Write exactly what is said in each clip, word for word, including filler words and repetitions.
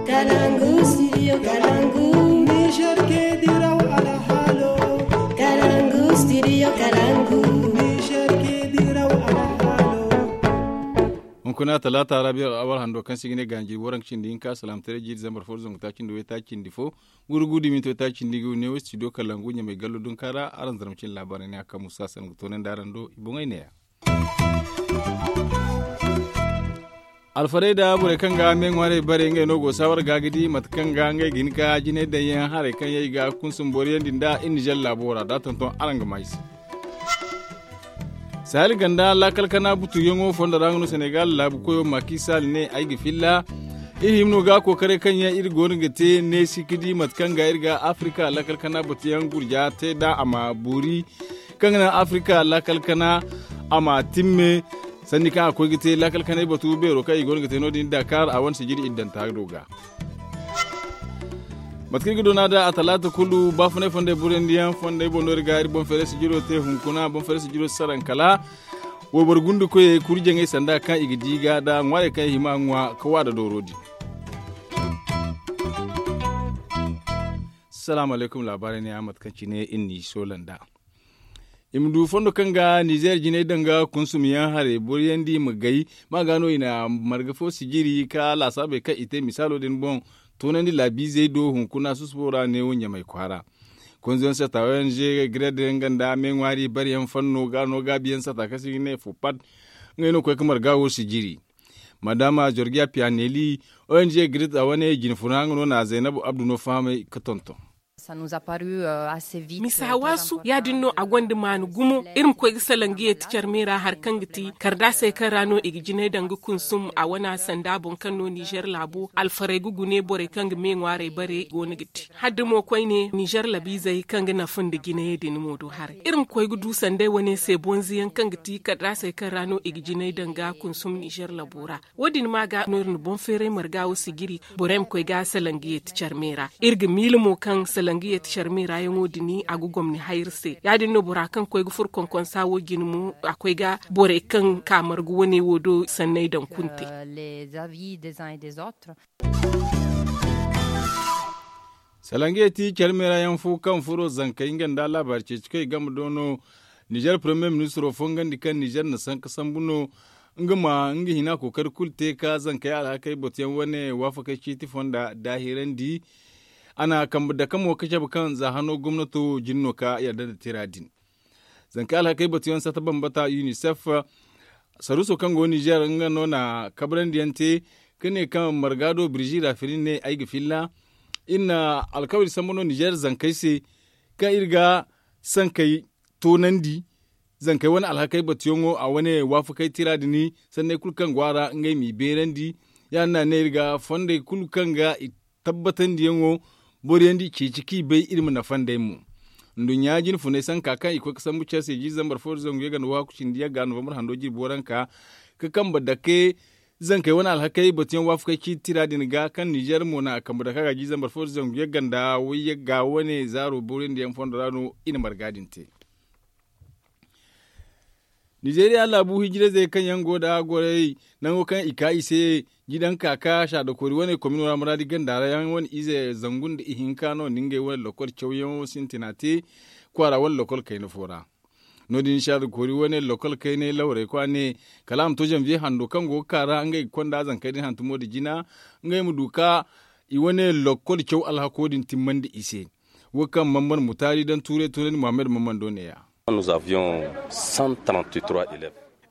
Kalangu studio kalangu. Niger ke diraw alhalo. Kalangu studio kalangu. Niger ke diraw alhalo. Hunkuna talaata rabiya al'awar hando kaŋ se i ga ne ganji waranka cindi hinka salaam tare jiiri zambar fo zangu taaci nda way taaci cindi fo. Gurgu dumi to taaci cindi ga ne wo studio kalangu ɲamay gallo dunka ra. Araŋ zarma cine laabaarey ne a kaŋ musa sangu toonandi araŋ do i boŋey ne ya. Alfarey da borey kaŋ ga me ŋwaarey bare ngey no go saawar ga ga di mate kaŋ ga ngey ga hin ka jinay daŋ yaŋ haray kaŋ yaŋ i ga kunsum boriyandi nda i nizer laabo ra da tonton araŋ ga ma i se. Sahel ganda laakal kana butuyaŋo fondo ra nga no senegal laabu koyo makisal ne ay ga filla. Iri hima no ga kookaray kaŋ yaŋ iri go no ga te neesi ga di mate kaŋ ga iri ga afrika laakal kana batuyaŋ gurja te da a ma boori kaŋ ga naŋ afrika laakal kana a ma timme. Sanni kaŋ a koy ga te laakal kanay batu beero kaŋ i go no ga te no- din dakar a wane sijiri iddanta do ga. Mate kaŋ i ga doona da a talaata kulu baafunay fondey buryandiyaŋ fondey boŋ no iri ga iri boŋ feere sijiro te hunkuna boŋ feere sijiro saraŋ kala wayboro gundu koyey kuri jaŋey sanda kaŋ i ga di ga da ŋwaarey kaŋ i hima ŋwa ka wa da dooro din. Salaamu alaykum laabaarey ne a mate kaŋ cine iri n'i soola nd'a. I ma du fondo kaŋ ga nizer jinay daŋ ga kunsum yaŋ haray boriyandi i ma gay ma ga no i na marga fo sijiri ka laasaabey kaŋ i te misaalo din boŋ toonandi laabiizey do hunkuna susubo ra neewo ɲamay kwaara. Konzoyaŋ sata ong gred nga nda me ŋwaari bariyaŋ fanno ga no gaabiyaŋ sata kaŋ se i ga ne fo pat. Ngey no koy ga marga wo sijiri madama jorgiya piyaneli ong gred a wane jinfuna nga no na zaynabu abdu no fahamay ga tonton. Misa hawaasu ya- din no a gonda maani gumo. Iri ma koy ga salaŋ ga yeeti care me ra hari kaŋ ga ti kardaasey kaŋ ra no i ga jinay daŋ ga kunsum a wana sanda boŋ kaŋ no nizer laabo alfarey ga gune borey kaŋ ga me ŋwaarey bare go no ga te hala da mo koyne nizer labiizey kaŋ ga nafa nda jinayey din mo du haray iri ma koy ga du sanday wane se bonze yaŋ kaŋ ga ti kardaasey kaŋ ra no i ga jinay daŋ ga kunsum nizer labo ra. Wo- din ma ga no iri na boŋ feeray marga wo sijiri borey ma koy ga salaŋ ga yeeti care me ra. Iri ga miila mo kaŋ salaŋ ga yeeti care me ra yaŋo din a ga gomni hayri se ya- din no bora kaŋ koy ga furo konkonsa wo jine mo a koy ga borey kaŋ ka marga wane wo do sanney daŋ kunte. Salaŋ ga yeeti care me ra yaŋ fo kaŋ furo zankey nga nda laabaari ceeci kaŋ i game do no. Nizer premier ministro fongandi kaŋ nizer na sanka sambu no nga ma nga hina kookari kulu te ka zankey alhakey batuyaŋ wane waafakey ciiti fonda daahirandi. A na kambe dake mo ka cabe kaŋ za hano gomnato jine no ka yadda nda tira din. Zankey alhakey batuyaŋ sata bambata unicef saruuso kaŋ go nizer nga no na kabrandi yaŋ te ka ne kaŋ marga do birzi rafiri ne ay ga filla. Iri na alkawari sambu no nizer zankey se kaŋ iri ga sankey toonandi zankey wane alhakey batuyaŋo a wane waafakey tira din sanney kulu kaŋ go a ra ngey m'i beerandi. Ya- din no a ne iri ga fondey kulu kaŋ ga i tabbatandiyaŋo boriyandi i ceeci kaŋ i bay iri ma nafa nd'ey mo. Nduɲɲa jinfunay sanka kaŋ i koy ga sambu care se jiiri zambar fo nda zangu yagga nda waaku cindi yagga novambar hando jirbi waranka ka kambe dake zankey wane alhakey batuyaŋ waafakey ciiti tira din ga kaŋ nizer mo na a kambe dake a ga jiiri zambar fo nda zangu yagga nda way yagga wane zaaro boriyandiyaŋ fondo ra no i na marga din te. Nizeriya laabu hijirayzey kaŋ yaŋ go nda goray nango kaŋ i ka i se jidaŋ ka ka saadakoori wane komino ra muraadi ganda ra yaŋ wane ize zangu nda ihinka no nda ngey wane lokol cawyaŋo sintina te kwaara wane lokol kayna fo ra. No- din saadakoori wane lokol kaynay lawrey kwa ne kala a ma to zanviye hando kaŋ go ga ka ra ngey ga konda zankey din hantumo nda jina ngey ma du ka i wane lokol caw alhako din timmandi i se. Wo kaŋ mamman mutaari daŋ tuuray toonandi muhammad mamman do neeya.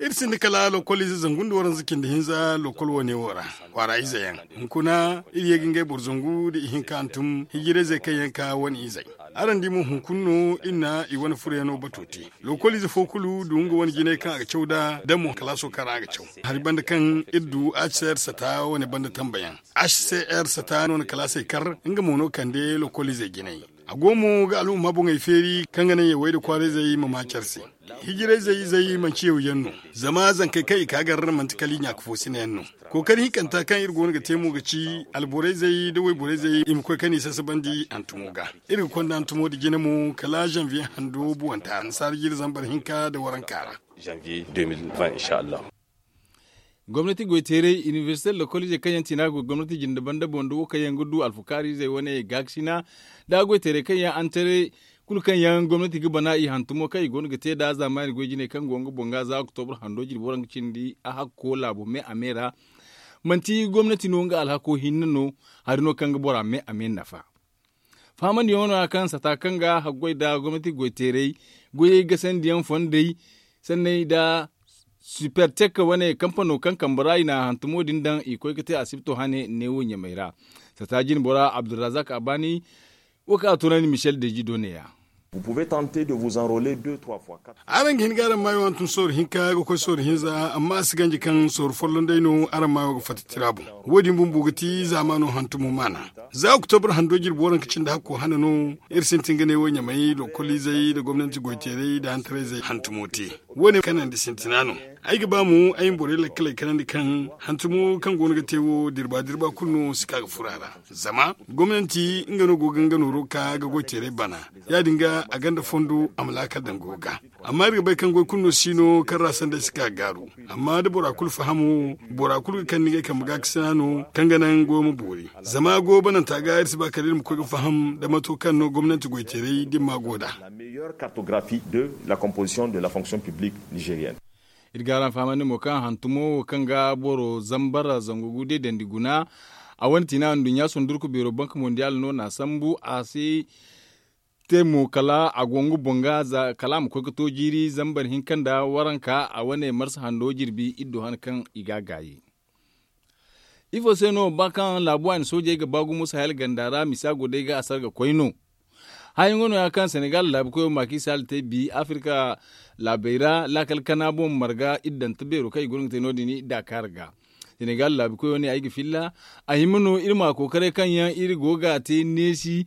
Iri sinda kala lokol ize zangu nda waranza cindi hinza lokol wane wo ra kwaara ize yaŋ. Hunkuna iri ye ga ngey boro zangu nda ihinka hantum hijirayzey kaŋ yaŋ ka wane izey. Araŋ di mo hunkuna no iri na i wane furayano bato te. Lokol ize fo kulu du nga wane jinay kaŋ a ga caw nd'a da mo kalaaso kaŋ ra a ga caw. Hari banda kaŋ iri du hcr sata wane banda tambayaŋ. Hcr sata no na kalaasey kar nga mo no kande lokol izey jinay. A go mo ga alhumma boŋey feeri kaŋ ga naŋ yawey nda kwaarayzey ma ma care se. Hijirayzey izey manci yawyaŋ no. Zama zankey kaŋ i ka gar manti kala i ɲaaka fo sinayaŋ no. Kookari hinkanta kaŋ iri go no ga te mo ga ci alborayzey nda wayborayzey i ma koy kaŋ i sasabandi hantumo ga. Iri ga konda hantumo nda jine mo kala zanviye hando buwanta annasaara jiiri zambar hinka nda waranka ra. Gomnati goy teeray inibersite lokol izey kaŋ yaŋ ti no a go gomnati jinde banda boŋ nda wo kaŋ yaŋ ga du alfakaari izey wane gaakasina, nda goy teeray kaŋ yaŋ antaray kulu kaŋ yaŋ gomnati ga bana i hantumo kaŋ i go no ga te nd'a zaamaani goy jinay kaŋ go nga boŋ ga za oktobra hando jirbi waranka cindi a hakko laabo me a me ra. Manti gomnati no nga alhako hinne no, hari no kaŋ ga bora me a me nafa. Fahamandiyaŋo no ya kaŋ sata kaŋ ga haggoy nda gomnati goy teeray goyey gasandiyaŋ fondey sanney nda sipertek wane kampano kaŋ kambe ra i na hantumo din daŋ i koy ga te asibto hane neewo ɲamey ra. Sata jine bora abdulrazak abani, wo kaŋ a toonandi michel deji do ne ya. Araŋ ga hin ga araŋ maayo hantum sooru hinka ga koy sooru hinza amma a si ganji kaŋ sooru folloŋ day no araŋ maayo ga fatta tira boŋ. Wo- din bumbo ga ti zaamaano hantumo maana. Za oktobar hando jirbi waranka cindi hakko hane no iri sintin ga ne wo ɲamay lokoliizey nda gomnanti goyteeray nda hantarayzey hantumo te. Wo- ne kanandi sintina no. Ay ga ba mo ay ma borey lakkaley kanandi kaŋ hantumo kaŋ go no ga te wo dirba dirba kulu no si ka ga furo a ra. Zama gomnanti nga no go ga nga nooro ka ga goyteeray bana. Ya- din ga a gonda fondo a ma laakal daŋ goyo ga. Amma iri ga bay kaŋ goy kulu no si no kaŋ ra sanday si ka ga gaaru. Amma da bora kulu fahamo bora kulu ga kande ngey kambe gaakasina no kaŋ ga naŋ goyo ma boori. Zama goyo bananta ga iri si ba kala iri ma koy ga faham nda mato kaŋ no gomnanti goyteeray da iri ma go nd'a. Iri ga araŋ fahamandi mo kaŋ hantumo wo kaŋ ga boro zambar zangu gu deedandi guna. A wane tiina nduɲɲa sundurku beero bank mondial no n'a sambu a si te mo kala a go nga boŋ ga kala a ma koy ga to jiiri zambar hinka nda waranka a wane marsa hando jirbi iri du han kaŋ i ga a gaayi. Ifo se no ba kaŋ laabu waani soojey ga ba gumo sahel ganda ra misa go day ga a sarga koy no? Hayaŋo no- ya kaŋ senegal laabu koyo maaki sahel te bi afirka laabey ra laakal kana boŋ marga iddanta beero kaŋ i go no ga te no- din i daakaara ga. Senegal laabu koyo ne ay ga filla a hima no iri ma kookaray kaŋ yaŋ iri go ga a te neesi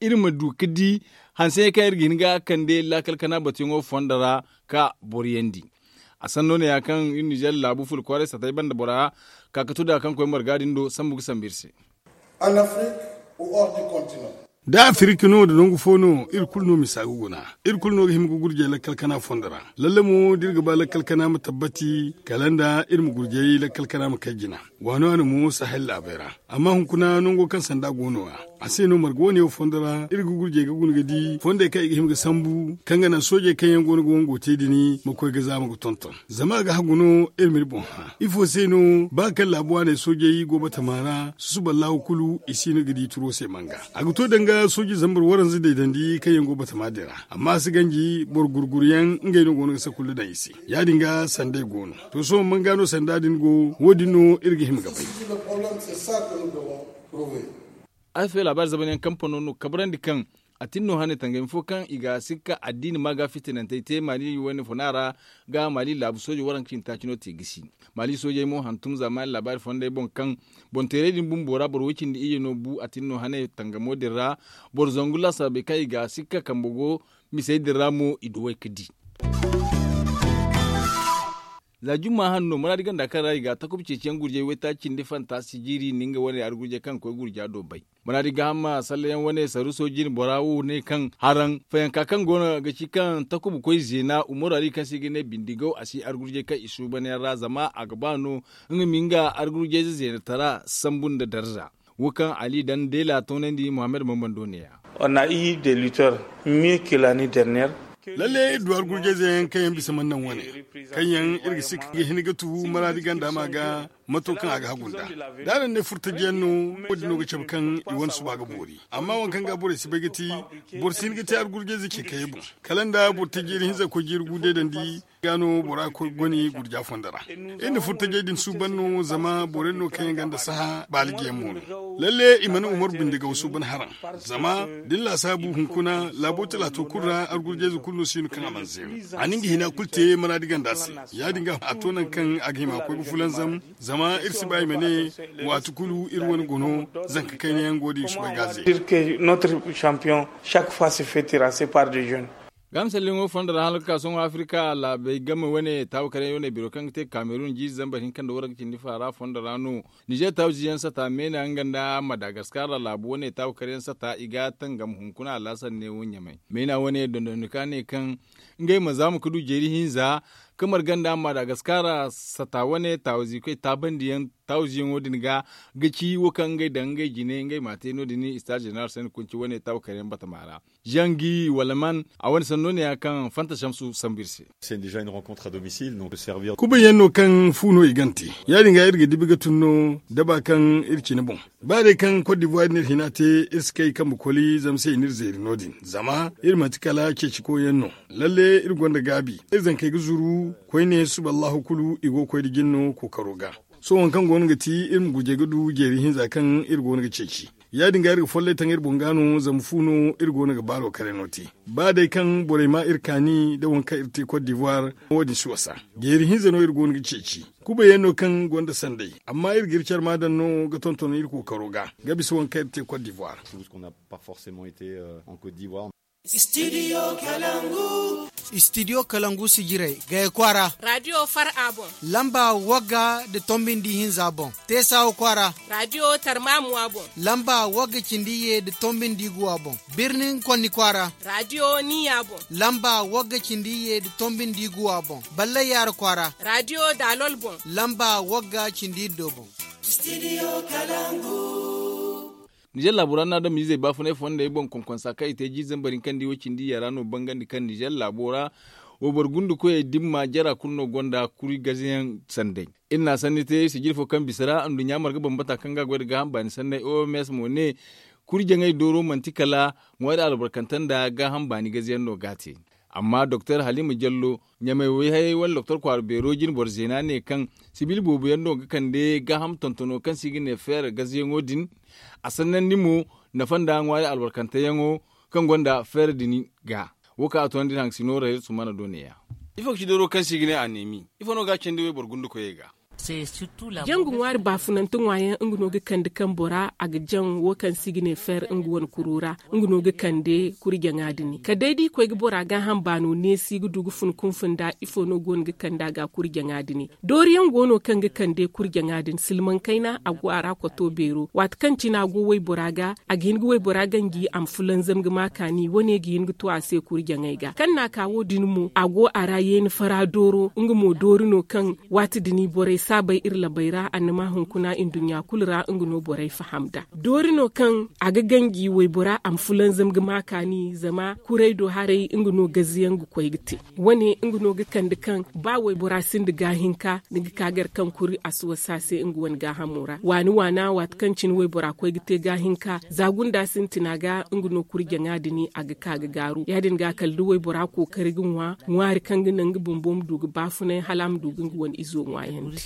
iri ma du ga di hanse kaŋ iri ga hin ga kande laakal kana batuyaŋo fondo ra ka boro yandi. A sanno ne- ya kaŋ iri nizer laabu fula kwaaray satay banda bora ka ga to da kaŋ koy marga din do sambu ga sambu iri se. Da afirika no da nangu fo no iri kulu no misa ga guna. Iri kulu no ga hima ga gurjay lakkal kana fondo ra. Lalle mo da iri ga ba lakkal kana ma tabbati kala nda iri ma gurjay lakkal kana ma kay jina. Waano a no mo sahel laabey ra. Amma hunkuna nango kaŋ sanda go no- ya a se no marga wane wo fondo ra iri ga gurjay ga guna ga di fondey kaŋ i ga hima ga sambu kaŋ ga naŋ soojey kaŋ yaŋ go no ga wango te din ma koy ga zaama ga tonton. Zama a ga hagu no iri ma iri boŋ hã ifo se no ba kaŋ laabu waaney soojey go batama ra susuballahu kulu i si no ga di turo se manga. A ga to danga sooji zambar waranza deedandi kaŋ yaŋ go batama din ra. Amma a si ganji boro gurguru yaŋ ngey no go no ga sakulla daŋ i se. Ya- din ga sanday go no. To sohõ manga no sanda din go wo- din no iri ga hima ga bay. Ay fay laabaari zaban yaŋ kampano no kabrandi kaŋ a tin no hane tangami fo kaŋ i ga sikka addiini ma ga fitinantey te maali wane funa ra ga maali laabu soojo waranka cindi taaci no te gisi. Maali soojey mo hantum zaamaani laabaari fondey boŋ kaŋ boŋ teeray din bumbo ra boro way cindi iyye no bu a tin no hane tangamo din ra. Boro zangu laasarabey kaŋ i ga sikka kambe go misey din ra mo i duwey ga di. Za jumma hanno maraadi ganda kaŋ ra i ga takuba ceeciyaŋ gurjay waytaaci cindi fanta si jiiri nda nga wane hari gurjay kaŋ ga koy gurja do bay. Maraadi gaaham ma sallayaŋ wane saruuso jine bora wo ne kaŋ haraŋ fayanka kaŋ go no ga ci kaŋ takuba koy zeena umaru hari kaŋ se i ga ne bindigaw a si hari gurjay kaŋ i suuban yaŋ ra zama a ga ba no nga ma nga hari gurjayze zeenatara sambu nda darza. Wo kaŋ ali daŋ deela toonandi muhammad bambando ne ya. Lalle iri du argurjayze yaŋ kaŋ yaŋ bisa mana naŋ wane kaŋ yaŋ iri ga si ga hin ga tu maraadi ganda ma ga mato kaŋ a ga hagu nd'a. Da a daŋ ne furtaji yaŋ no wo- din no ga cabe kaŋ i wane suba ga boori. Amma waŋ kaŋ ga borey si bay ga ti boro si hin ga te argurjayze ce kaŋ yaŋ boŋ kala nda boro taji iri hinza koy jiiri gu deedandi ga no bora koy goni gurja fondo ra. Iri na furtajey din suuban no zama boro yaŋ no kaŋ yaŋ gonda saha baalijiyaŋ mo no. Lalle i mana umaru bindigaw suuban haraŋ. Zama da ni laasaabu hunkuna laabo talaato kulu ra argurjayze kulu no si no kaŋ a mana zeenu. A na nga hina kulu te maraadi ganda se. Ya- din ga a to nangu kaŋ a ga hima koy ga fulanzam. Zama iri si ba i ma ne waati kulu iri wane guna zanka kayna yaŋ go da i ga soobay ga a zeenu. Gaama salliŋo fondo ra hala ga ka sohõ afirka laabey game wane taabu karyaŋ wane biro kaŋ ga te kamerun jiize zambar hinka nda waranka cindi faara fondo ra no. Nizer taabu jiiyaŋ sata meena nga nda madagaskar ra laabu wane taabu karyaŋ sata i ga tangam hunkuna alaasar neewo ɲamay meena wane dondonnika ne kaŋ ngey ma zaama ga du jeeri hinza. Kamar ganda amma da gaskara sata wane taawazi koy taabandiyaŋ taawaziyaŋo din ga ga ci wo kaŋ ngey daŋ ngey jine ngey ma te no- din ista jeneral sanda kunci wane taawakaryaŋ batama ra. Zangi wala man a wane sanno ne ya kaŋ fanta samsu sambu iri se. Kubayyaŋ no kaŋ fu no i gante ya- din ga iri ga dibi ga tun no da ba kaŋ iri cine boŋ. Ba day kaŋ kot divuwari no iri hina te iri si kay kambe koli zama se i n'iri zeeri no- din zama iri manti kala ceeci koyyaŋ no. Lalle iri gonda gaabi iri zankey ga zuru koyne suba allahu kulu i go ga koy nda jin no kookaro ga. Sohõ waŋ kaŋ go no ga ti iri ma gujey ga du jeeri hinza kaŋ iri go no ga ceeci. Ya- din ga iri ga follay taŋ iri boŋ ga no zama fu no iri go no ga baaro kare no te. Ba day kaŋ borey ma iri kaani nda waŋ kaŋ iri te kot divuwari, wo- din si wasa. Jeeri hinza no iri go no ga ceeci. Kubayyaŋ no kaŋ gonda sanday amma iri ga iri care ma daŋ no ga tonton iri kookaro ga ga bisa waŋ kaŋ iri te kot divuwari. Studio kalangu sijirey gaya kwaara. Radio far a boŋ. Lamba wagga nda tombi nda ihinza boŋ. Teesawa kwaara. Radio tarmamuwa boŋ. Lamba wagga cindi ye nda tombi nda iguwa boŋ. Birnin konni kwaara. Radio niya boŋ. Lamba wagga cindi ye nda tombi nda iguwa boŋ. Ballay yaara kwaara. Radio dalol boŋ. Lamba wagga cindi iddo boŋ. Nizer laabo ra no a daŋ ma izey baafunay fondey boŋ konkonsa kaŋ i te jiiri zambar hinka nda i wo cindi yara no bangandi kaŋ nizer laabo ra. Wayboro gundukoyey dimma jara kulu no gonda kuri gazeyaŋ sanday. Iri na sanni te sijiri fo kaŋ bisa ra nduɲɲa marga bambata kaŋ ga a goy nda gaaham baani sanney oms mo ne. Kuri jaŋay dooro manti kala ŋwaari albarkante nda gaaham baani gazeyaŋ no ga a te. Amma doktor halima jallo ɲamay wayhayey wala doktor kwaara beero jine boro zeena ne kaŋ sibil boobo yaŋ no ga kande gaaham tontono kaŋ se i ga ne feera gazeyaŋo din. A sannandi mo nafa nda ŋwaari albarkanteyaŋo kaŋ gonda feera din ga. Wo kaŋ a toonandi iri haŋ ga si nooru hayra sumana do neeya. Ifo ga ci dooro kaŋ se i ga ne aneemi? Ifo no ga a candi wayboro gundukoyey ga? Jangu ŋwaari baafunante ŋwaayaŋ nga no ga kande kaŋ bora a ga jaŋ wo kaŋ se i ga ne feer nga wane kuro ra. Nga no ga kande kurjaŋa din kala day da i koy ga bora gaaham baano neesi ga du ga fun kunfun nda ifo no go no ga kande a ga kurjaŋa din. Dooriyaŋ go no kaŋ ga kande kurjaŋa din silmaŋ kayna a go a ra koto beero waati kaŋ cine a go waybora ga a ga hin ga waybora ganji a ma fulanzam ga ma kaani wane ga hin ga to a se kurjaŋey ga kaŋ na a ka wo- din mo a go a ra yeeni fara dooro nga mo doori no kaŋ waati din borey si a bay iri labey ra annama hunkuna nduɲɲa kulu ra nga no borey faham nd'a. Doori no kaŋ a ga ganji waybora a ma fulanzam ga ma kaani zama kuray do haray nga no gazayaŋ ga koy ga te. Wane nga no ga kande kaŋ ba waybora sinda gaahinka ni ga ka gar kaŋ kuri a si wasa se nga wane gaahamo ra waani waana waati kaŋ cine waybora koy ga te gaahinka za gunda sintina ga nga no kurjaŋa din a ga ka ga gaaru ya- din ga kala da waybora kookari ga ŋwa ŋwaari kaŋ ga naŋ nga bumbo ma du ga baafunay hala a ma du ga nga wane izo ŋwaayandi.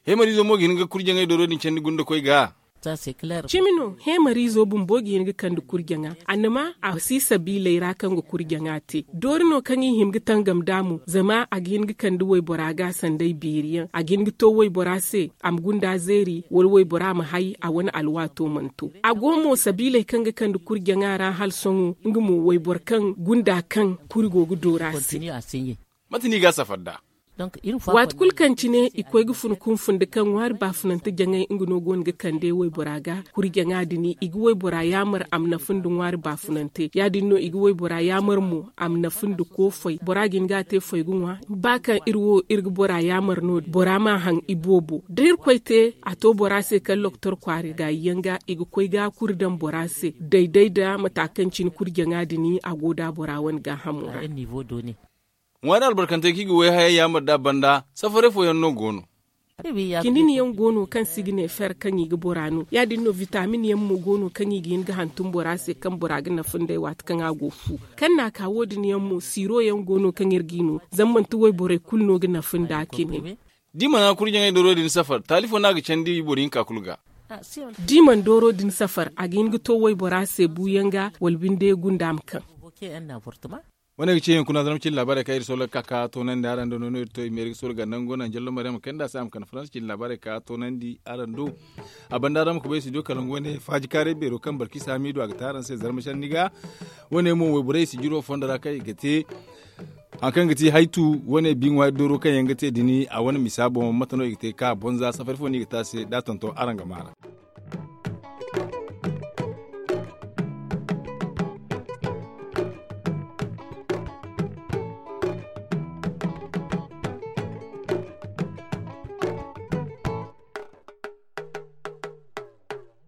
Heemariizo mo ga hin ga kurjaŋey dooro din candi gunda koy ga. Cimi no heemariizo bumbo ga hin ga kande kurjaŋa annama a si sabiiley ra kaŋ ga kurjaŋa te doori no kaŋ i hima ga tangam nd'a mo zama a ga hin ga kande waybora ga sanday beeri yaŋ a ga hin ga to waybora se a ma gunda zeeri wala waybora ma hay a wane alwaato mana to. A go mo sabiiley kaŋ ga kande kurjaŋa ra hala sohõ nga mo wayboro kaŋ gunda kaŋ kuri go ga doora se. Mate no i ga a safar nd'a? Waati kulu kaŋ cine i koy ga fun kunfun nda kaŋ ŋwaari baafunante jaŋay nga no go no ga kande waybora ga kurjaŋa din i ga waybora yaamar a ma nafa nda ŋwaari baafunante ya- din no i ga waybora yaamar mo a ma nafa nda koofay bora ga hin ga a te fay ga ŋwa. Ba kaŋ iri wo iri ga bora yaamar no- din bora ma a haŋ iboobo da irkoy te a to bora se kala lokotor kwaari gaayi yaŋ ga i ga koy ga a kuri daŋ bora se dayday nda mata kaŋ cine kurjaŋa din a go nda bora wane gaahamo ra. Ŋwaari albarkantey kaŋ i ga wayhayey yaamar nd'a banda safaray fooyaŋ no go no. Kinin yaŋ go no kaŋ se i ga ne fer kaŋ i ga bora no ya- din no vitamin yaŋ mo go no kaŋ i ga hin ga hantum bora se kaŋ bora ga nafa nd'ey waati kaŋ a go fu. Kaŋ na a ka wo- din yaŋ mo siiro yaŋ go no kaŋ iri g'i no zama manti wayborey kulu no ga nafa nd'a kinin. Da i mana kurjaŋey dooro din safar taali fo no a ga candi boro hinka kulu ga. Da i mana dooro din safar a ga hin ga to waybora se buuyaŋ ga wala binde gunda ma kaŋ. Wane ga ce hunkuna zarma cine laabaarey kaŋ iri soolay ga ka ga toonandi araŋ do no no iri to i ma iri ga soolay ganda nga go naŋ jallo maryama kayna nda a se a ma kande faransa cine laabaarey ga ka ga toonandi araŋ do. A banda araŋ ma kubay studio kalangu wane faaji kaaray beero kaŋ barkisa hamidu a ga te araŋ se zarma sanni ga. Wane mo wayborey sijiro fondo ra kaŋ i ga te hari kaŋ ga ti haytu wane bi ŋwaari dooro kaŋ yaŋ ga te din a wane misa boŋ mate no i ga te ga ka bonza safari fo no i ga te a se da a tonton araŋ ga maa ra.